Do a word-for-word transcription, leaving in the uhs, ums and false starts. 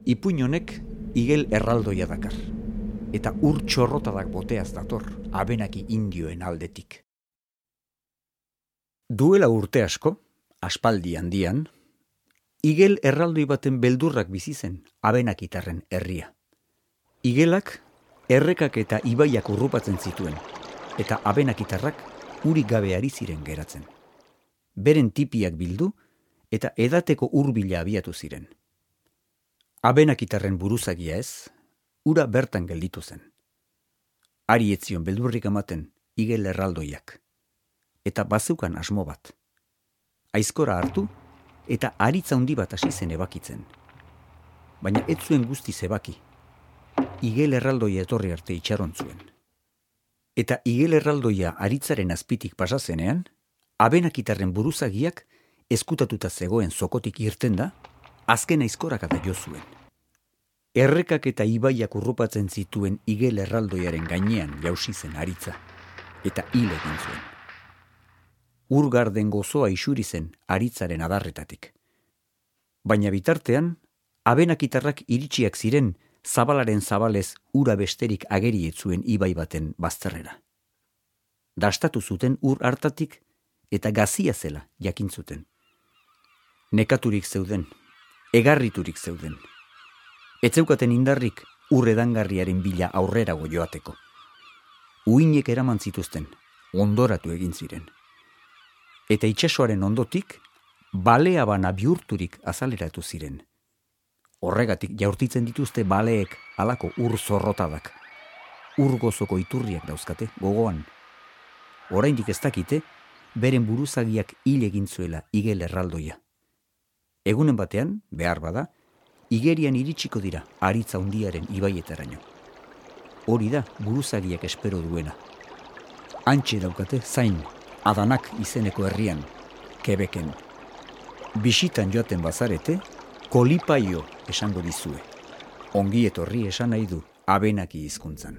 Ipuin honek igel erraldoia dakar, eta ur txorrotadak boteaz dator, abenaki indioen aldetik. Duela urte asko, aspaldi handian, igel erraldoi baten beldurrak bizi zen abenakitarren herria. Igelak errekak eta ibaiak urrupatzen zituen, eta abenakitarrak urik gabe ari ziren geratzen. Beren tipiak bildu eta edateko hurbila abiatu ziren. Abenakitarren buruzagia ez, ura bertan gelditu zen. Ari etzion beldurrik ematen igel erraldoiak, eta bazeukan asmo bat. Aizkora hartu eta aritza handi bat hasi zen ebakitzen. Baina ez zuen guztiz ebaki. Igel erraldoia etorri arte itxaron zuen. Eta igel erraldoia aritzaren azpitik pasazenean, abenakitarren buruzagiak ezkutatuta zegoen zokotik irten da, azken aizkorak eta jo zuen. Errekak eta ibaiak urrupatzen zituen igel erraldoiaren gainean jausi zen aritza, eta hil egin zuen. Urgarden gozoa isuri zen aritzaren adarretatik. Baina bitartean, abenakitarrak iritsiak ziren zabalaren zabalez ura besterik ageri ez zuen ibai baten bazterrera. Dastatu zuten ur hartatik eta gazia zela jakin zuten. Nekaturik zeuden, egarriturik zeuden. Ez zeukaten indarrik ur edangarriaren bila aurrerago joateko. Uinek eraman zituzten, ondoratu egin ziren. Eta itsasoaren ondotik, balea bana bihurturik azaleratu ziren. Horregatik jaurtitzen dituzte baleek halako ur zorrotadak. Ur gozoko iturriak dauzkate, gogoan. Oraindik ez dakite, beren buruzagiak hil egin zuela igel erraldoia. Egunen batean, behar bada, igerian iritsiko dira aritza hundiaren ibaietaraino. Hori da buruzagiak espero duena. Hantxe daukate zain, Adanak izeneko herrian, Quebecen. Bisitan joaten bazarete, kolipaio esango dizue. Ongi etorri esan nahi du abenaki hizkuntzan.